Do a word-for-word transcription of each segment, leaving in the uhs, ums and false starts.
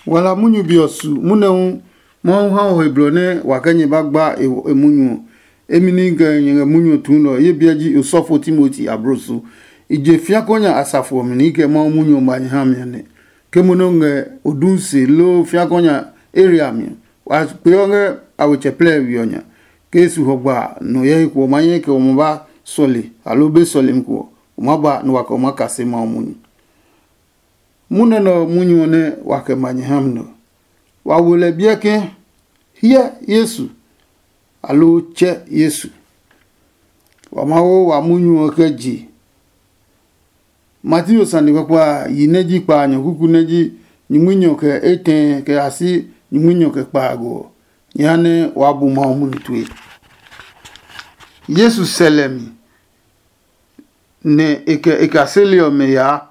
Wala munyu be ɔ su munɛ hu Mawu ha o he blɔ nɛ wa kɛ nyɛ ba gba e munyu ɔ. Emi ni ngɛ nyɛ ngɛ munyu ɔ tuu nɛ ɔ, ye biɛ ji osɔfo Timoti abloso. I je fiakɔ nya asafo ɔ mi nɛ i kɛ Mawu munyu ɔ ba nyɛ ha mi ɔ nɛ. Ke mo nɛ o ngɛ o du se loo fiakɔ nya Aria mi ɔ, wa kpeɔ ngɛ a we tsɛ plɛ we ɔ nya. Ke Yesu hɔ gba a, nɔ hyɛ he ko ɔ ma nyɛ kɛ o ma ba sɔle aloo be sɔlemi ko ɔ, o ma ba nɛ wa kɛ o ma kase Mawu munyu. Munɛ nɛ ɔ munyu ɔ nɛ wa kɛ ma nyɛ ha mi nɛ ɔ. Wa wo lɛ biɛ ke, hyɛ Yesu, aloo tsɛ Yesu. Wa ma wo wa munyu ɔ kɛ je. Mateo sane kpakpa a, yi nɛ ji kpa a nyɔkuku nɛ ji nyumunyɔ kɛ etɛ kɛ ya si nyumunyɔ kɛ kpaago ɔ, nyɛ ha nɛ waa bu Mawu munyu tue. Yesu sɛ lɛ mi, nɛ e kɛ e kaseli ɔmɛ yaa.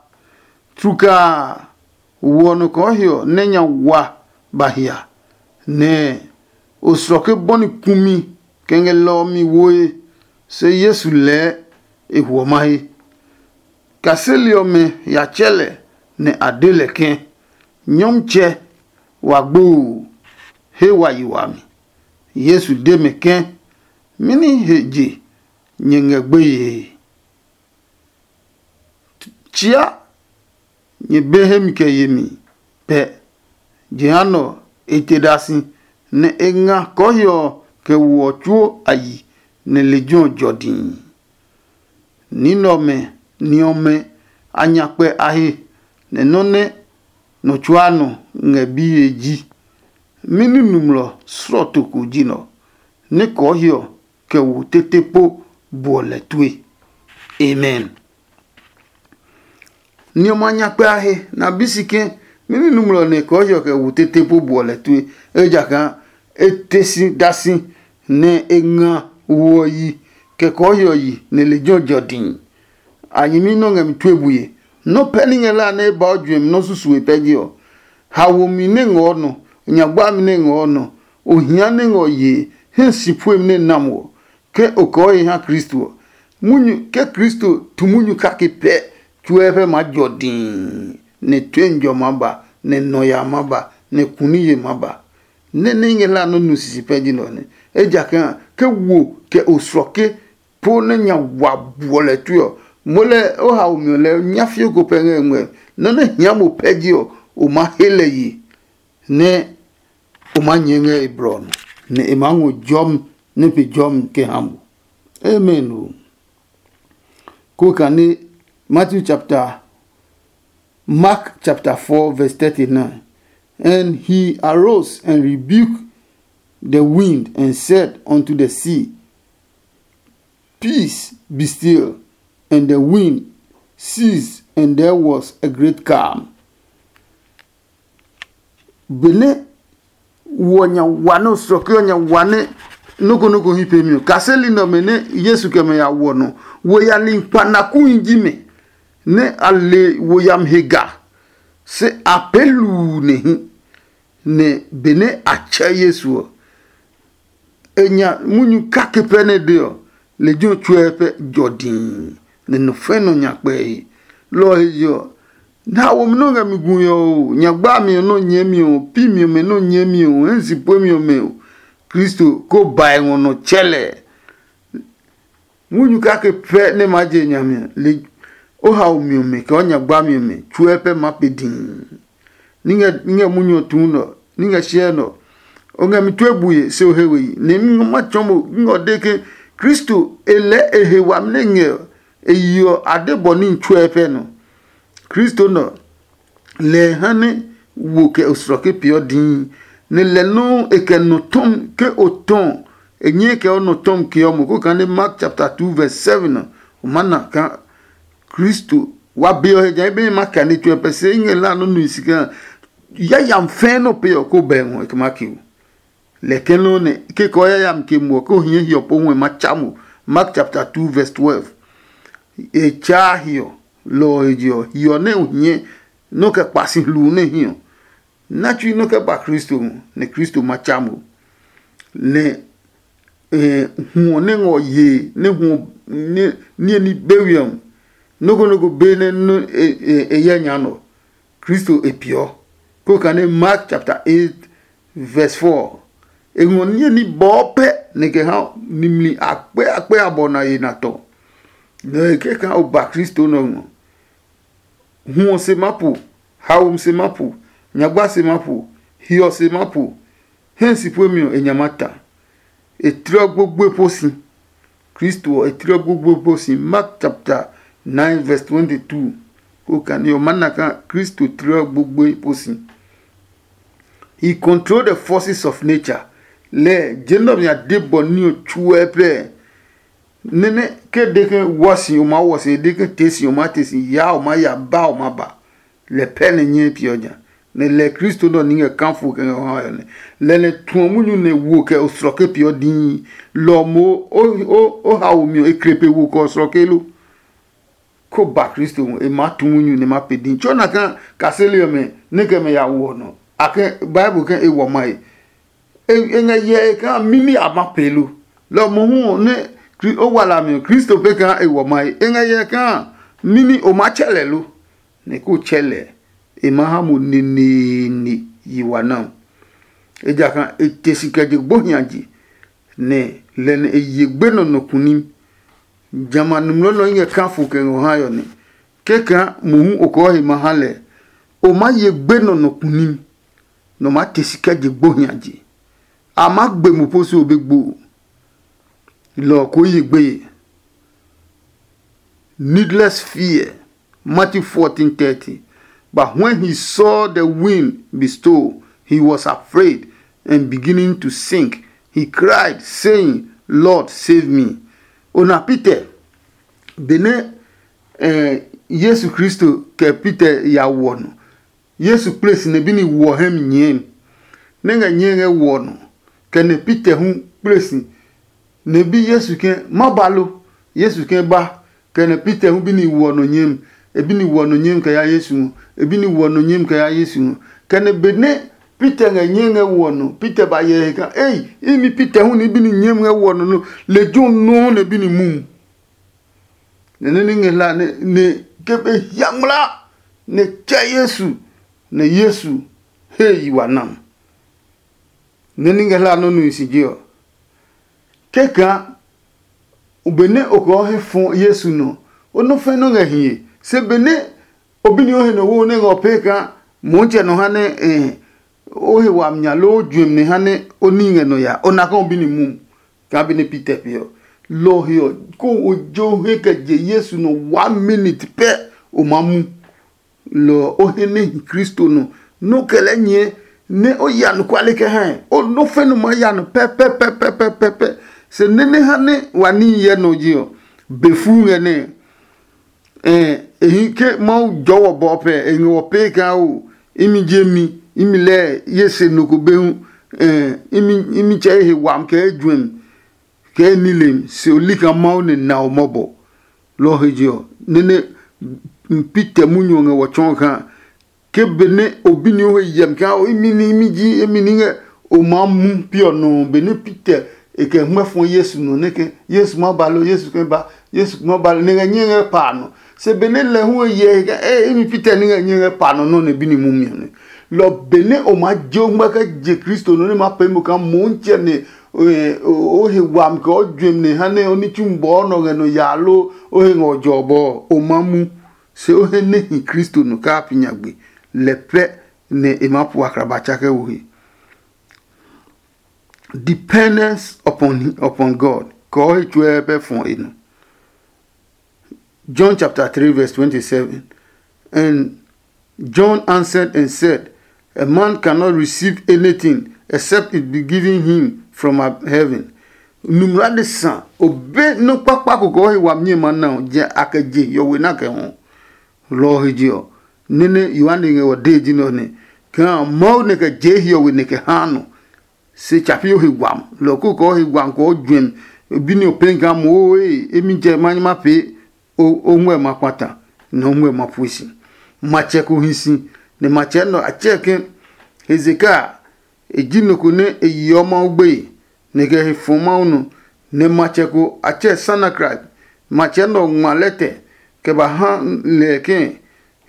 Tlukaa a, wo ɔ nɔ kɔɔhiɔ nɛ nya wa ba hia, nɛ osrɔke bɔni kumi kɛ ngɛ lɛ ɔ mi woe, se Yesu lɛɛ e huɔ mahe. Kaseli ɔmɛ ya tsɛ lɛ, nɛ a de lɛ ke, "Nyɔmtsɛ, wa gbo oo, he wa yi wami." Yesu de mɛ ke, "Mɛni he je nyɛ ngɛ gbeye? Tsia nyɛ be hemi kɛ yemi pɛ." Jehanɛ ɔ, e te da si, nɛ e nga kɔɔhiɔ ɔ kɛ wo ɔ tsuo a yi, nɛ lejɛ ɔ jɔ dii. Ní nɛ ɔmɛ ni ɔmɛ a nya kpɛ a he, nɛ nɔ́ nɛ nɔ tsuaa nɔ ngɛ biye ji. Mɛni nɔmlɔ slɔɔto ko ji nɛ ɔ, nɛ kɔɔhiɔ kɛ wo tete po buɔ lɛ tue? Amen. Ni ɔmɛ a nya kpɛ a he, nɛ a bi si ke, mɛni nɔmlɔ nɛ kɔɔhiɔ kɛ wo tete po buɔ lɛ tue? Ejakaa e te si da si, nɛ e nga wo ɔ yi, kɛ kɔɔhiɔ yi, nɛ lejɛ ɔ jɔ dii. A nyɛmi nɔ́ ngɛ mi tue bue. Nɔ́ pɛ ní ngɛ la nɛ e ba o juɛmi nɔ́ susue pɛ ji ɔ. Haomi nɛ ngɔ nɔ, nyagbami nɛ ngɔ nɔ, ohia nɛ ngɔ yee, hɛ si puemi nɛ nam wɔ, ke o kɔɔ he ha Kristo ɔ. Munyu ke Kristo tu munyu kake pɛ, tsuɛ pɛ maa jɔ dii, nɛ tue njɔ maa ba, nɛ nɔ ya maa ba, nɛ kuniye maa ba. Nɛ nɛ i ngɛ hlaa nɔ́ nu sisi pɛ ji nɛ ɔ nɛ. Ejakaa ke wo kɛ o suɔ ke po nɛ nya wa buɔ lɛ tue ɔ, moo lɛ o haomi ɔ lɛɛ nyafio ko pɛ ngɛ ngmɛ. Nɔ́ nɛ hia mo pɛ ji ɔ, o maa he lɛ ye, nɛ o maa nyɛɛ ngɛ e blɔ ɔ nɔ, nɛ e maa ngɔ jɔmi nɛ pe jɔmi kɛ ha mo. Amen o. Ko kane Matthew chapter, Mark chapter four verse thirty-nine. And he arose and rebuked the wind and said unto the sea, "Peace, be still." And the wind ceased, and there was a great calm. Benɛ wo ɔ nya wa nɛ o sɔke ɔ nya wa nɛ nɔ́ ko nɔ́ ko hí peemi ɔ, kaseli nɛ ɔmɛ nɛ Yesu kɛ mɛ ya wɔ nɔ, wo ya li kpanakuhi ji mɛ, nɛ a le wo yami he ga, se a pee luu nɛ hi. Nɛ benɛ a tsɛ Yesu ɔ, e nya munyu kake pɛ nɛ de ɔ, lejɛ ɔ tsuɛ pɛ jɔ dii, nɛ nɔ fɛ nɔ nya kpɛe. Lɔ ɔ he je ɔ, nɛ a womi nɛ o ngɛ mi gui ɔ, o nya gbami ɔ nɛ o nyɛɛmi ɔ, pi mi ɔmɛ nɛ o nyɛɛmi ɔ, hɛ si puemi ɔmɛ ɔ, Kristo ko bae ngɔ nɔ tsɛ lɛ. Munyu kake pɛ nɛ maa je nyami ɔ, le o haomi ɔmɛ kɛ o nya gbami ɔmɛ tsuɛ pɛ maa pe dii. Ní ngɛ ní ngɛ munyu ɔ tuu nɛ ɔ, ní ngɛ siɛ nɛ ɔ, o ngɛ mi tue bue se o he we yi. Nɛ mi ngɔ ma tsɔɔ mo, ngɔ de ke Kristo e lɛɛ e he wami nɛ ngɛ ɔ, e yi ɔ a de bɔ ní tsuɛ pɛ nɔ. Kristo nɛ ɔ, lɛ e ha nɛ wo kɛ osrɔke peeɔ dii, nɛ lɛ nɔuu e kɛ nɔ tɔmi ke o tɔ ɔ, e nyɛɛ kɛ o nɔ tɔmi keɔ mo. Ko kane Mark chapter two verse seven ɔ, o maa na kaa Kristo wa be ɔ he ja be ma kɛ ne tsuɛ pɛ se i ngɛ la nɔ nui si kaa yayam fɛɛ nɔ pe ɔ ko bɛ ngɔ e kɛ ma ke o. Lɛ kɛ nɔ nɛ ke kɔ yayam ke mo ko hiɛ hiɔ po ngɔ ma cha mo. Mark chapter two verse twelve. E cha hiɔ, lɔ ɔ he je ɔ, hiɔ nɛ o hiɛ nɔ kɛ kpa si hluu nɛ hiɔ. Na tsui nɔ kɛ ba Kristo ngɔ, nɛ Kristo ma cha mo. Nɛ eh, huɔ nɛ ngɔ yee nɛ huɔ niye ní be wi ɔ, nɔ́ ko nɔ́ ko be nɛ e yɛ nya nɔ, Kristo e peeɔ. Ko kane Mark chapter eight verse four. E ngɔ niye ní bɔɔ pɛ nɛ kɛ ha nimli akpɛ akpɛ abɔ na ye na tɔ. Nɛ e kɛ kaa o ba Kristo nɛ ɔ ngɔ. Hwɔ se ma po, haomi se ma po, nyagba se ma po, hiɔ se ma po, hɛ si puemi ɔ e nya ma ta. E tlɔ gbogboe po si. Kristo ɔ e tlɔ gbogboe po si. Mark chapter nine verse twenty-two. Ko kane ɔ ma na kaa Kristo tlɔ gbogboe po si. He control the forces of nature. Lɛ je nɔ nya de bɔ ní ɔ tsuɛ pɛ. Nene ke de ke wɔ si o ma wɔ si, de ke te si o ma te si, ya o ma ya, ba o ma ba. Lɛ pɛ ne nyɛ piɔ nya. Nɛ lɛ Kristo nɔ ni ngɛ kanfo kɛ ngɛ ha yɔ nɛ. Lɛ nɛ tuɔ munyu nɛ wo kɛ o srɔ ke piɔ dii. Lɔ mo o o o ha o miɔ e kre pe wo kɛ o srɔ ke lo. Ko ba Kristo hu e ma tu munyu nɛ ma pe dii. Tso na ka kaseli ɔmɛ ne kɛ mɛ ya wɔ nɔ. A ke Bible ke e wɔ mai. E ngɛ yɛ e kaa mimi a ma pee lo. Lɔ mohu ɔ nɛ o wa lami ɔ, Kristo pe kaa e wɔ mahi. E ngɛ yɛ kaa mimi o maa tsɛ lɛ lo? Nɛ ko tsɛ lɛ, e maa ha mo neneene yi wa na. Ejakaa e te si kɛ je gbohiaje, nɛ lɛ nɛ e ye gbenɔ nɔ kunim. Jamɛ a nungmlɔ nɔ i ngɛ kafo kɛ ngɔ ha yɔ nɛ. Kɛkaa mohu o kɔɔ he ma ha lɛ, o maa ye gbenɔ nɔ kunim, nɔ maa te si kɛ je gbohiaje. A maa gbe mo po si o be gbo. Lɔ ɔ koo ye gbeye. Needless fear. Matthew fourteen thirty. But when he saw the wind be still, he was afraid and beginning to sink. He cried, saying, Lord, save me. Ona Peter, benɛ eh, Yesu Kristo kɛ Peter ya wɔ nɔ. Yesu kple si nɛ bi ni wɔ hɛ mi nyɛɛ mi, nɛ ngɛ nyɛɛ ngɛ wɔ nɔ, kɛ nɛ Peter hu kple si nɛ bi Yesu ke, ma ba lo? Yesu ke, ba. Kɛ nɛ Peter hu bi ni wɔ nɔ nyɛɛ mi, e bi ni wɔ nɔ nyɛɛ mi kɛ ya Yesu ngɔ, e bi ni wɔ nɔ nyɛɛ mi kɛ ya Yesu ngɔ. Kɛ nɛ benɛ Peter ngɛ nyɛɛ ngɛ wɔ nɔ, Peter ba yɛ he kaa, ei, imi Peter hu ni bi ni nyɛɛ mi ngɛ wɔ nɔ lo, lejɛ ɔ nɔuu nɛ bi ni mumi. Nɛ nɛ ní ngɛ hla nɛ ke be hia ngmlaa, nɛ tsɛ Yesu, nɛ Yesu he yi wa nam. Nɛ ní ngɛ hla nɔ́ nui si je ɔ, kɛkaa benɛ o kɔɔ he fɔ Yesu nɔ, o nɔ́ fɛ̃ nɔ́ ngɛ hiye. Se benɛ o bi ni o he nɔ wo nɛ ngɛ o pee kaa Motsɛ nɔ ha nɛ o he wami nya loo o juɛmi nɛ ha nɛ o ní ngɛ nɔ ya, o na kaa o bi ni mumi. Kaa be nɛ Peter pee ɔ. Lɔ ɔ he ɔ, koo o jo he kɛ je Yesu nɔ one minute pɛ, o maa mu. Lɔ ɔ, o he nɛ hi Kristo nɔ, nɛ o kɛ lɛɛ nyɛɛ nɛ o ya anɔkuale kɛ hɛe. O nɔ́ fɛ nɔ maa ya nɔ pɛpɛpɛpɛpɛpɛ. Se nɛ nɛ ha nɛ wa níhi hyɛ nɔ je ɔ, be fuu ngɛ nɛ. E hi ke Mawu jɔɔ wɔ bɔ pɛ, e ngɛ wɔ pee kaa o, imi je mi, imi lɛɛ ye se nɔ ko be hu, imi tsɛ ye he wami kɛ ejuɛmi, kɛ e nilemi, se o li kaa Mawu nɛ na o mɔbɔ. Lɔ ɔ he je ɔ, nɛ nɛ Peter munyu ɔ ngɛ wɔ tsɔɔ kaa ke benɛ o bi ni o he yɛmi kaa o imi ní imi ji emi ní ngɛ o maa mu pi ɔ nɔ. Benɛ Peter e kɛ hmɛ fɔ Yesu nɔ nɛ ke, Yesu ma ba lo, Yesu kɛ ba, Yesu ma ba lo, nɛ ngɛ nyɛ ngɛ pa nɔ. Se benɛ lɛ hu e yɛ he kɛ e imi Peter ní ngɛ nyɛ ngɛ pa nɔ nɔ nɛ bi ni mumi ɔ nɛ. Lɔ benɛ o maa je o ngmɛ kɛ je Kristo nɔ nɛ ma pee mo kaa Motsɛ nɛ o he wami kɛ o juɛmi nɛ ha nɛ o ní tsu bɔɔ nɔ ngɛ nɔ yaa lo o he ngɛ ɔ jɔ bɔ ɔ, o ma mu. Se o he nɛ hi Kristo nɔ kaa pi nyagbe, lɛ pɛ nɛ e maa pu akraba tsa kɛ wo he. Dependence upon upon God kɔɔ he tsuɛ pɛ fɔ e nɔ. John chapter three verse twenty-seven. And John answered and said, a man cannot receive anything except it be given him from heaven. Numra de sa o be nɔ kpakpa ko kɔɔ he wami nyɛ ma na ɔ, jɛ a kɛ je hiɔwe na kɛ hɔ. Lɔ ɔ he je ɔ, nene Yohane ngɛ wɔ dee ji nɛ ɔ nɛ, kaa Mawu nɛ kɛ jee hiɔwe nɛ kɛ haa nɔ. Se tsa pi o he wam, lɔ ko kɔɔ he wam kɔɔ juɛmi, bi ni o pee kaa mo ee, emi jɛ ma nyi ma pee o ngmɛ ma kpata, nɛ o ngmɛ ma pue si. Matsɛ ko hi si, nɛ matsɛ nɛ ɔ a tsɛɛ ke Hezekia, e ji nɔ ko nɛ e yeɔ Mawu gbeye, nɛ e kɛ he fɔ Mawu nɔ. Nɛ matsɛ ko a tsɛɛ Sanakrit. Matsɛ nɛ ɔ ngma lɛtɛ kɛ ba ha lɛ ke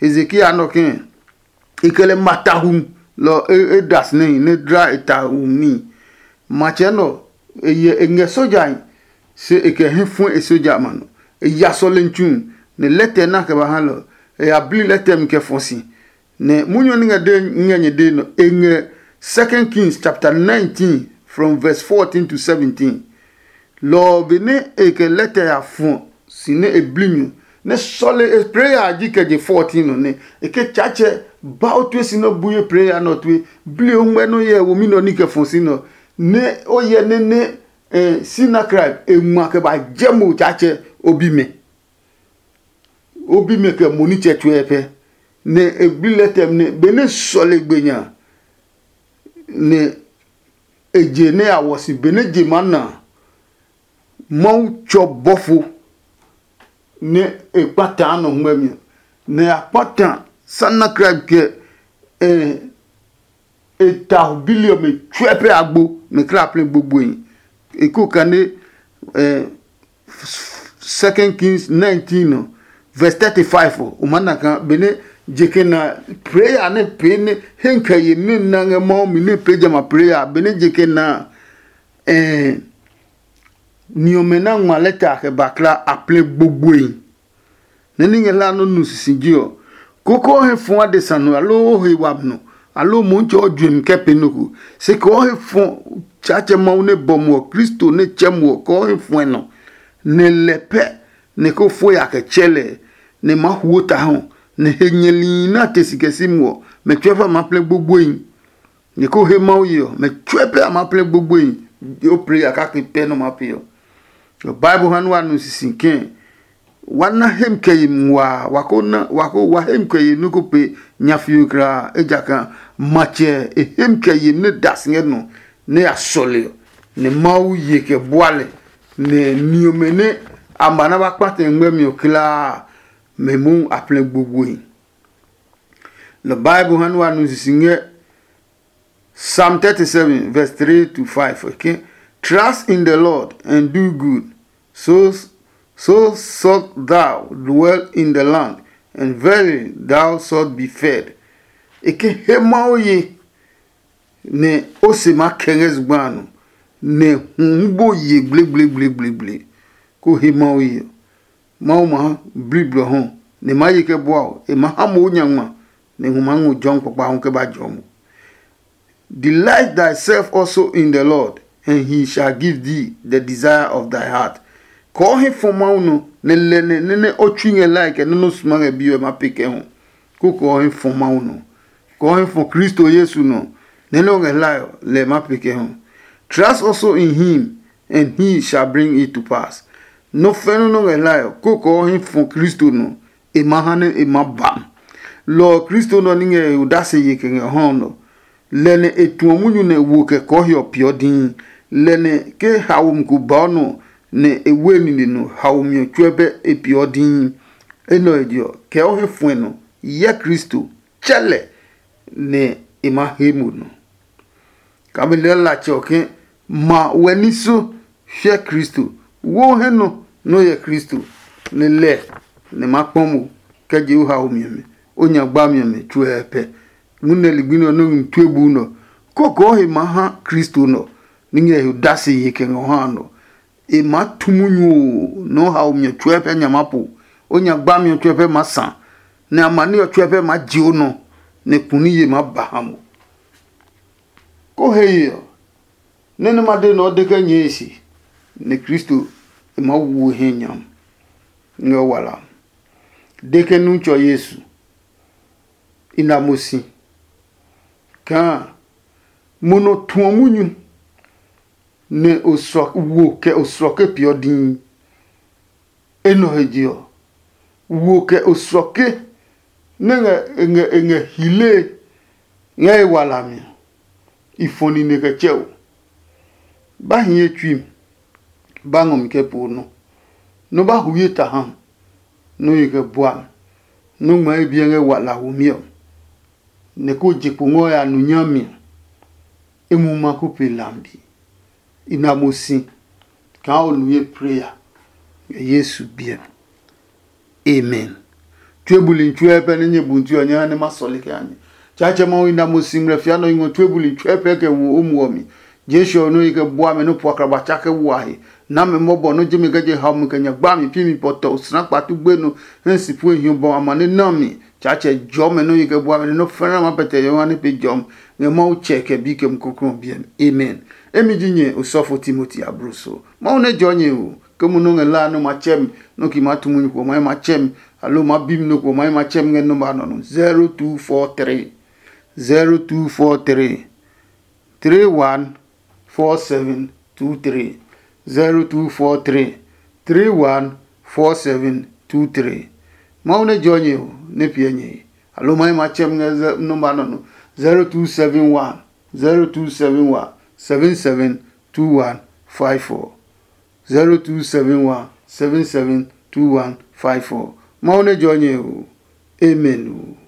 Hezekia nɔ ke e kɛ lɛ ma ta hu lɔ e da si nɛ hi nɛ dla e ta wu mi. Matsɛ nɛ ɔ, e yɛ e ngɛ sojahi, se e kɛ hɛ fue e soja ma nɔ. E ya sɔlemi tsu, nɛ lɛtɛ na kɛ ba ha lɛ ɔ, e ya bli lɛtɛ mi kɛ fɔ si. Nɛ munyu ɔ nɛ ngɛ de ngɛ nyɛ dee nɔ, e ngɛ Second Kings chapter nineteen from verse fourteen to seventeen. Lɔ ɔ benɛ e kɛ lɛtɛ ya fɔ si nɛ e bli mi ɔ, nɛ sɔle e prayer a ji kɛ je fourteen nɔ nɛ e ke Tsaatsɛ ba o tue si nɛ o bu ye prayer nɛ ɔ tue, bli o ngmɛ nɛ o yɛ womi nɛ ɔ ní kɛ fɔ si nɛ ɔ, nɛ o yɛ nɛ nɛ eh, Sinakrib e ngma kɛ ba jɛ mo Tsaatsɛ o bi mɛ. O bi mɛ kɛ mo nitsɛ tsuɛ pɛ, nɛ e bli lɛtɛ nɛ benɛ sɔle gbe nya nɛ e je nɛ a wɔ si benɛ je maa na a, Mawu tsɔ bɔfo nɛ e kpata nɔ ngmɛmi ɔ, nɛ a kpata Sanakrib kɛ e ta bi li ɔmɛ tsuɛ pɛ agbo, mɛ kla plɛ gbogboe. E ko kane eh, Second Kings nineteen nɔ, verse thirty-five ɔ, o ma na kaa benɛ je kɛ na prayer nɛ pee nɛ he kɛ ye nɛ na ngɛ Mawu mi nɛ pee jamɛ a prayer benɛ je kɛ na a, eh, ni ɔmɛ na ngma lɛta kɛ ba kla a plɛ gbogboe. Nɛ ní ngɛ hlaa nɔ́ nu sisije ɔ, koko o he fɔ̃ adesa nɔ aloo o he wami nɔ, aloo Mɔntsɛ ɔ juɛmi kɛ pee nɔ ko. Se kɛ o he fɔ̃ Tsaatsɛ Mawu nɛ bɔ mo ɔ, Kristo nɛ tsɛ mo ɔ, kɛ o he fɔ̃ɛ nɔ, nɛ lɛ pɛ nɛ ko fo ya kɛ tsɛ lɛ, nɛ ma huo ta hɔ, nɛ he nyɛlihi nɛ a te si kɛ si mo ɔ, mɛ tsuɛ fa ma plɛ gbogboehi. Nɛ ko he Mawu ye ɔ, mɛ tsuɛ pɛ a ma plɛ gbogboehi. O prayer kake pɛ nɔ ma pee ɔ. Bible ha nɛ wa nu sisi kɛ̃ wa na hem kɛ yi nguaa, wa ko na wa ko wa hem kɛ yi nɔ́ ko pe nyafio kulaa, ejakaa matsɛ e hem kɛ yi nɛ da si ngɛ nɔ nɛ ya sɔle ɔ, nɛ Mawu ye kɛ bua lɛ, nɛ ni ɔmɛ nɛ a ma na ba kpatɛ ngmɛmi ɔ kulaa, mɛ mohu a plɛ gbogboehi. Lɔ Bible ha nɛ wa nu sisi ngɛ Psalm thirty-seven, verse three to five. Okay? Trust in the Lord and do good. So, so shalt thou dwell in the land, and verily thou shalt be fed. E ke he Mawu ye, nɛ o se ma kɛ ngɛ zugba a nɔ, nɛ hu hu bo ye gblegblegblegblegle. Ko he Mawu ye ɔ, Mawu ma ha bli blɔ hu, nɛ e maa ye kɛ bua o. E ma ha mo o nya ngma, nɛ hu maa ngɔ jɔmi kpakpa hu kɛ ba jɔɔ mo. Delight thyself also in the Lord, and he shall give thee the desire of thy heart. Kɔɔ he fɔ Mawu nɔ, nɛ lɛ nɛ nɛ nɛ o tsui ngɛ lae kɛ nɔ́ nɔ suma ngɛ biyo ɛ ma pe kɛ hu. Ko kɔɔ he fɔ Mawu nɔ. Kɔɔ he fɔ Kristo Yesu nɔ, nɛ nɛ o ngɛ hlae ɔ, lɛ ma pe kɛ hu. Trust also in him, and he shall bring it to pass. Nɔ́ fɛ́nɔ nɔ́ ngɛ hlae ɔ, ko kɔɔ he fɔ Kristo nɔ, e ma ha nɛ e ma ba. Lɔ ɔ Kristo nɔ ní ngɛ e odase ye kɛ ngɛ hɔ nɔ. Lɛ nɛ e tuɔ munyu nɛ wo kɛ kɔɔhiɔ peeɔ dii. Lɛ nɛ ke haomi ko baɔ nɔ nɛ e we nine nɔ haomi ɔ tsuɛ bɛ e peeɔ dii. Enɛ ɔ he je ɔ, kɛ o he fuɛ nɔ, hyɛ Kristo, tsɛ lɛ, nɛ e ma he mo nɔ. Kame lɛ latsɛ ɔ ke ma wɛ ní so hyɛ Kristo. Wo he nɔ nɛ o hyɛ Kristo, nɛ lɛ nɛ ma kpɔ mo kɛ je o haomi ɔmɛ, o nyagba mi ɔmɛ tsuɛ pɛ. Ngunɛ ligbi nɛ ɔ nɔ́ ngmi tue bu nɔ, koko ɔ he ma ha Kristo nɔ, ní ngɛ he dasi he kɛ ngɔ ha nɔ. E maa tu munyu oo, nɛ o haomi ɔ tsuɛ pɛ nya maa po, o nyagba mi ɔ tsuɛ pɛ maa sa, nɛ amani ɔ tsuɛ pɛ maa je o nɔ, nɛ kuni ye maa ba ha mo. Ko he ye ɔ, nɛ nɛ ma de nɛ ɔ de kɛ nyɛɛ e se, nɛ Kristo e maa wu e hɛ nyam ngɛ o wala. De kɛ nu tsɔ Yesu, i na mo si kaa mo nɔ tuɔ munyu, nɛ osrɔ wo kɛ osrɔke peeɔ dii. Enɛ ɔ he je ɔ, wo kɛ osrɔke nɛ ngɛ e ngɛ e ngɛ hilee ngɛ e walami ɔ, i fɔ nine kɛ tsɛ o. Ba hi ye tsui mi, ba ngɔ mi kɛ poo nɔ, nɔ ba hu ye ta ha mi, nɔ ye kɛ bua mi, nɔ ngma ye biɛ ngɛ wala womi ɔ, nɛ ko je kpo ngɔ ya nu nyami ɔ, e mu ma ko pe lambi. I na mo si kaa o nu ye prayer ngɛ Yesu biɛ mi. Amen. Tue buli tsuɛ pɛ nɛ nyɛ bu tue ɔ nyɛ ha nɛ ma sɔle kɛ ha nyɛ. Tsatsɛ Mawu na mo si ngmlɛ fia nɔ ngɔ tue buli tsuɛ pɛ kɛ wo o muɔ mi. Jesu ɔ nɔ yi kɛ bua mɛ nɔ po akraba tsa kɛ wa he. Na mɛ mɔbɔ nɔ je mi kɛ je hau mi kɛ nya gba mi pi mi pɔtɔ sna kpatu gbe nɔ. Hɛ si pu hiɔ bɔ amane na mi. Tsatsɛ jɔ mɛ nɔ yi kɛ bua mɛ nɔ fɛnɛ ma pɛtɛ yɔ ne pe jɔm. Ngɛ Mawu tsɛ kɛ bi kɛ mu kokro biɛ mi. Amen. Emi ji nyɛ osɔfo Timoti abruso. Mawu ne jɔ nyɛ o. Ke mu nɔ ngɛ la nɔ ma tsɛ mi. Nɔ ki ma tu mu nyuko ma ma tsɛ mi. Alo ma bi mi nɔ ko ma ma tsɛ mi ngɛ nɔ ba nɔ no. Zero two four three. Zero two four three. Three one four seven two three. Zero two four three. Three one four seven two three. Mawu ne jɔ nyɛ o, ne piɛ nyɛ he. Alo ma ma tsɛ mi ngɛ nɔmba nɔ no. Zero two seven one. Zero two seven one. Seven seven two one five four. Zero two seven one. Seven seven two one five four. Mawu ne jɔ nyɛ o. Amen o.